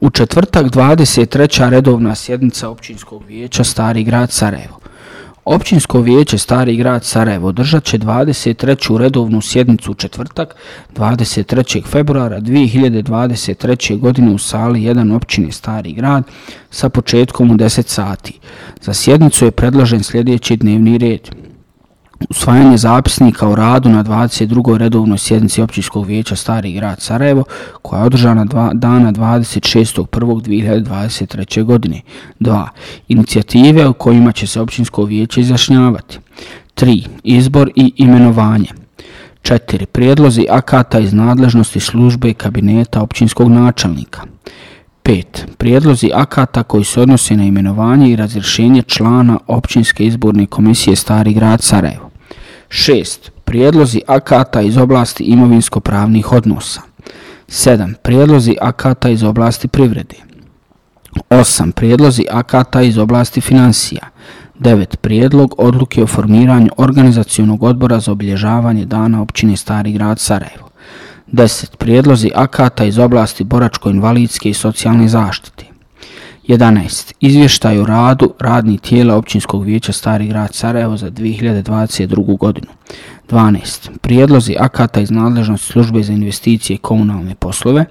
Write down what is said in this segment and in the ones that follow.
U četvrtak 23. redovna sjednica Općinskog vijeća Stari grad Sarajevo. Općinsko vijeće Stari grad Sarajevo održat će 23. redovnu sjednicu u četvrtak 23. februara 2023. godine u sali 1 općine Stari grad sa početkom u 10 sati. Za sjednicu je predložen sljedeći dnevni red. Usvajanje zapisnika o radu na 22. redovnoj sjednici Općinskog vijeća Stari grad Sarajevo koja je održana dana 26.1.2023. godine. 2. Inicijative o kojima će se Općinsko vijeće izjašnjavati. 3. Izbor i imenovanje. 4. Prijedlozi akata iz nadležnosti službe kabineta općinskog načelnika. 5. Prijedlozi akata koji se odnose na imenovanje i razrješenje člana Općinske izborne komisije Stari grad Sarajevo. 6. Prijedlozi akata iz oblasti imovinsko-pravnih odnosa. 7. Prijedlozi akata iz oblasti privrede. 8. Prijedlozi akata iz oblasti financija. 9. Prijedlog odluke o formiranju organizacionog odbora za obilježavanje dana općine Stari grad Sarajevo. 10. Prijedlozi akata iz oblasti boračko-invalidske i socijalne zaštite. 11. Izvještaj o radu radnih tijela Općinskog vijeća Stari grad Sarajevo za 2022. godinu. 12. Prijedlozi akata iz nadležnosti službe za investicije i komunalne poslove.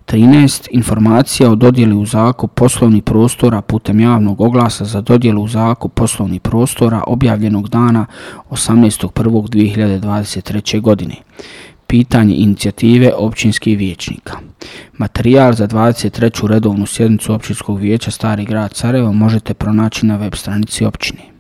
13. Informacija o dodjeli u zakup poslovnih prostora putem javnog oglasa za dodjelu u zakup poslovnih prostora objavljenog dana 18.1.2023. godine. Pitanje inicijative općinskih vijećnika. Materijal za 23. redovnu sjednicu Općinskog vijeća Stari grad Sarajevo možete pronaći na web stranici općine.